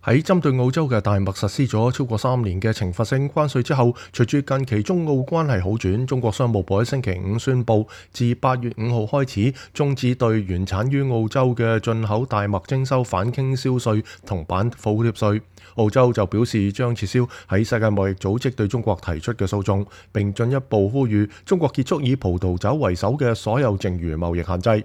喺針對澳洲嘅大麥實施咗超過3年嘅懲罰性關稅之後，隨住近期中澳關係好轉，中國商務部喺星期五宣布，自8月5號開始終止對原產於澳洲嘅進口大麥徵收反傾銷稅同反補貼稅。澳洲就表示將撤銷喺世界貿易組織對中國提出嘅訴訟，並進一步呼籲中國結束以葡萄酒為首嘅所有剩餘貿易限制。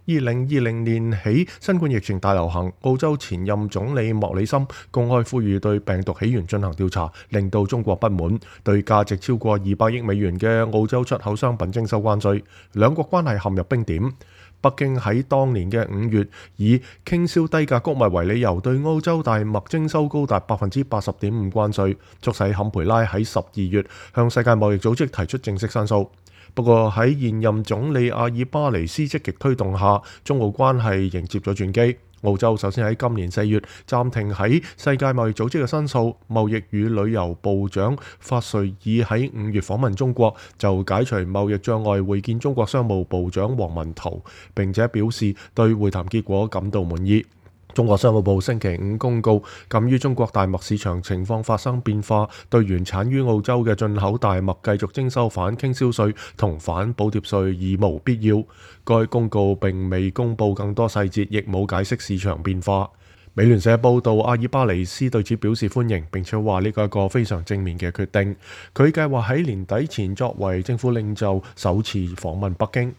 2020年起新冠疫情大流行，澳洲前任總理莫里森公開呼籲對病毒起源進行調查，令到中國不滿，對價值超過200億美元嘅澳洲出口商品徵收關稅，兩國關係陷入冰點。北京喺當年嘅5月以傾銷低價穀物為理由，對澳洲大麥徵收高達80.5%關稅，促使坎培拉喺12月向世界貿易組織提出正式申訴。不過喺現任總理阿爾巴尼斯積極推動下，中澳關係迎接咗轉機。澳洲首先喺今年4月暫停喺世界貿易組織嘅申訴，貿易與旅遊部長法瑞爾喺5月訪問中國，就解除貿易障礙會見中國商務部長王文濤，並且表示對會談結果感到滿意。中國商務部星期5公告，鑑於中國大麥市場情況發生變化，對原產於澳洲嘅進口大麥繼續徵收反傾銷稅同反補貼稅已無必要。該公告並未公布更多細節，亦冇解釋市場變化。美聯社報道，阿爾巴尼斯對此表示歡迎，並且話呢個係一個非常正面嘅決定。佢計劃喺年底前作為政府領袖首次訪問北京。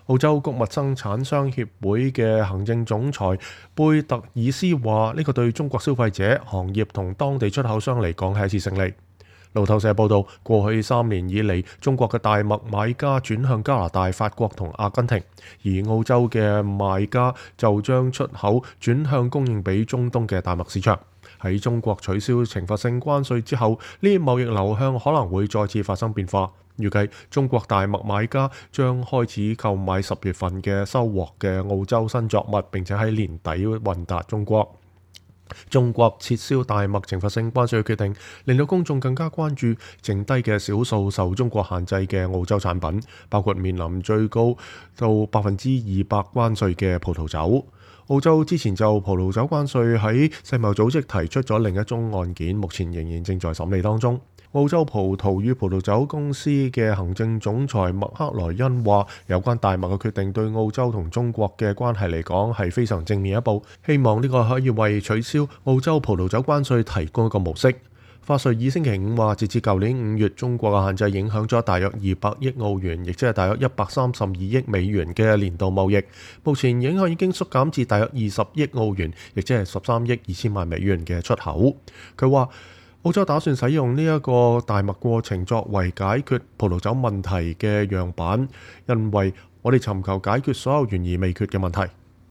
澳洲穀物生產商協會嘅行政總裁貝特爾斯話：呢個對中國消費者、行業同當地出口商嚟講係一次勝利。路透社報道，過去3年以嚟，中國嘅大麥買家轉向加拿大、法國同阿根廷，而澳洲嘅賣家就將出口轉向供應俾中東嘅大麥市場。喺中國取消懲罰性關稅之後，呢啲貿易流向可能會再次發生變化。預計中國大麥買家將開始購買10月份嘅收穫嘅澳洲新作物，並且喺年底運達中國。中國撤銷大麥懲罰性關稅嘅決定，令到公眾更加關注剩低嘅少數受中國限制嘅澳洲產品，包括面臨最高到200%關稅嘅葡萄酒。澳洲之前就葡萄酒關稅喺世貿組織提出咗另一宗案件，目前仍然正在審理當中。澳洲葡萄與葡萄酒公司嘅行政總裁麥克萊恩話：有關大麥嘅決定對澳洲同中國嘅關係嚟講係非常正面一步，希望呢個可以為取消澳洲葡萄酒關稅提供一個模式。法瑞爾星期5話，截至舊年5月，中國嘅限制影響咗大約200億澳元，亦即係大約132億美元嘅年度貿易。目前影響已經縮減至大約20億澳元，亦即係13億2千萬美元嘅出口。佢話：澳洲打算使用呢一個大麥過程作為解決葡萄酒問題嘅樣板，因為我哋尋求解決所有懸而未決嘅問題。